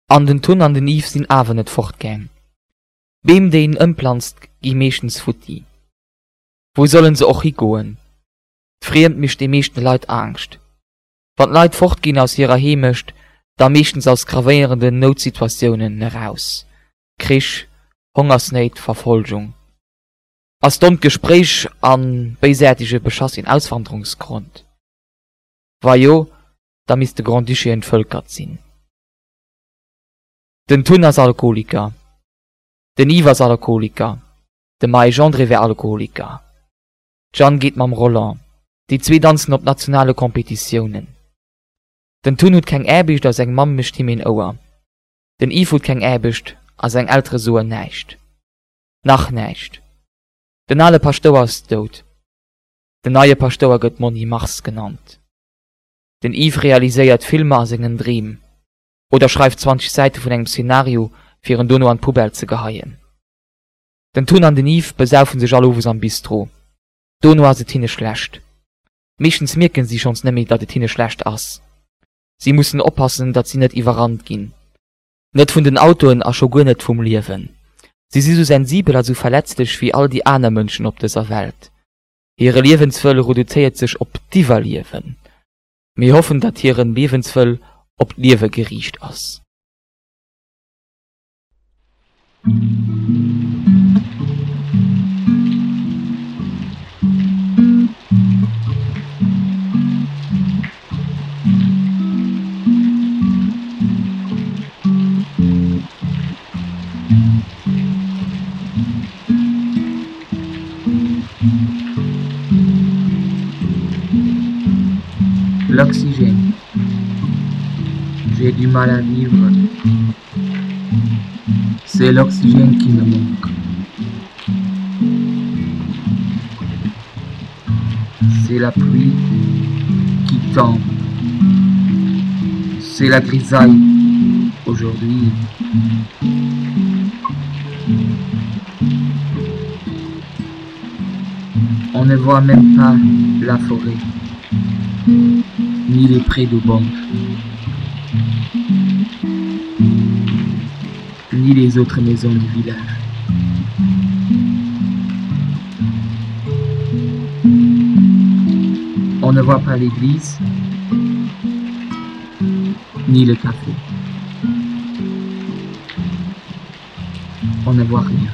An den Tun an den Yves sinn awer net fortgaang. D'Beem déi een ëmplanzt gi meeschtens futti. Wou sollen se och higoen? D'Friemd mécht de meeschten Leit Angscht. Wann d'Leit fortginn aus hirer Heemecht, da meeschtens aus gravéierenden Noutsituatiounen eraus, Krich, Hongersnéit, Verfolgung. Ass dommt Gespréich a béisäertege Beschass een Auswanderungsgrond? Wa jo, da misst de Grand-Duché entvëlkert sinn. Den Tun ass Alkoholiker. Den Yves ass Alkoholiker. De Maëj André wär Alkoholiker. D'Jeanne geet mam Roland. Déi zwee danzen op nationale Competitiounen. Den Tun huet keng Aarbecht a seng Mamm mécht him een Ouer. Den Yves huet keng Aarbecht a seng Eltere soen näischt. Nach näischt. Den ale Paschtouer ass dout. Den neie Paschtouer gëtt Monni Mars genannt. Den Yves realiséiert Filmer a sengen Dreem. Oder schreift 20 Säite vun engem Szenario, fir en dono an d'Poubelle ze geheien. Den Tun an den Yves besaufen sech all Owes am Bistro. Dono ass et hinne schlecht. Meeschtens mierken si schonns net méi, datt et hinne schlecht ass. Si mussen oppassen, datt si net iwwerrannt ginn. Net vun den Autoen a scho guer net vum Liewen. Si si sou sensibel a sou verletzlech wéi all déi aner Mënschen op dëser Welt. Hire Liewenswëll reduzéiert sech op d'Iwwerliewen. Mir hoffen, datt hire Liewenswëll op d'Liewe geriicht ass. L'oxygène. J'ai du mal à vivre. C'est l'oxygène qui me manque. C'est la pluie qui tombe. C'est la grisaille aujourd'hui. On ne voit même pas la forêt, ni les prés de banque, ni les autres maisons du village. On ne voit pas l'église, ni le café. On ne voit rien.